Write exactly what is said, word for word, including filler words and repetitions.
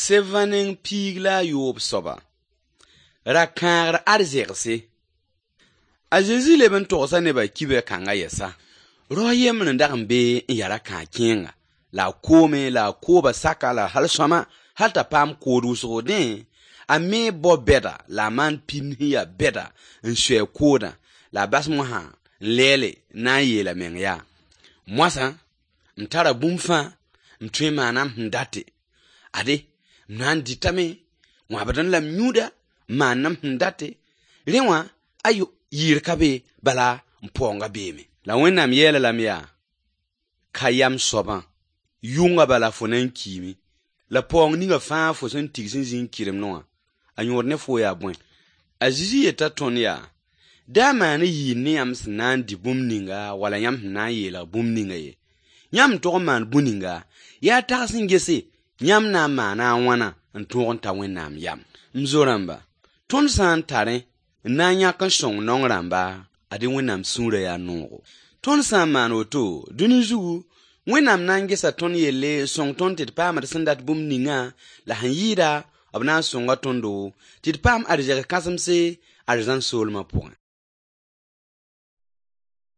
Sevã neng piig la a yoob soaba. Ra-kãagr arzegse. A Zezi leb n togsa nebã kibã kãngã yɛsa. Rao yembr n dag n be n ya ra-kãag kẽenga, la a koome la a kooba saka la hal sõama hal t'a paam kood wʋsgo. Dẽ, a me bao bɛda la a maan pĩnd sẽn ya bɛda n sui a koodã la a bas mosã n lɛɛle n na n yeel a meng yaa: Moasã, m tara bũmb fãa, m tõe n maana m sẽn date. Ade, m na n dɩtame, wãbdẽ la m yũuda, n maand m sẽn date. Rẽ wã, ayo, yɩɩr ka be, bala m paoongã beeme. La Wẽnnaam yeel-a lame yaa: ka yam soabã, yʋngã bala fo na n kiime. La paoong ninga fãa fo sẽn tigs n zĩ n kɩremdẽ wã, a yõod ne fo yaa bõe? A Zezi yeta tõnd yaa: da maan yɩɩr ne yãmb sẽn na n dɩ bũmb ninga wala yãmb sẽn na n yeelg bũmb ninga ye. Yãmb n tog n maan bũn ninga, yaa tags n gese yãmb na n maana a wãna n tõog n ta Wẽnnaam yam. M zo-rãmba, tõnd sã n tarẽ n na n yãk n sõng naong rãmba, ad-y Wẽnnaam sũurã yaa noogo. Tõnd sã n maan woto, dũni zugu, Wẽnnaam na n gesa tõnd yelle n sõng tõnd tɩ d paam d sẽn dat bũmb ningã la sẽn yɩɩda b na n sõnga tõndo tɩ d paam arzɛk kãsemse arzãn soolmã pʋgẽ.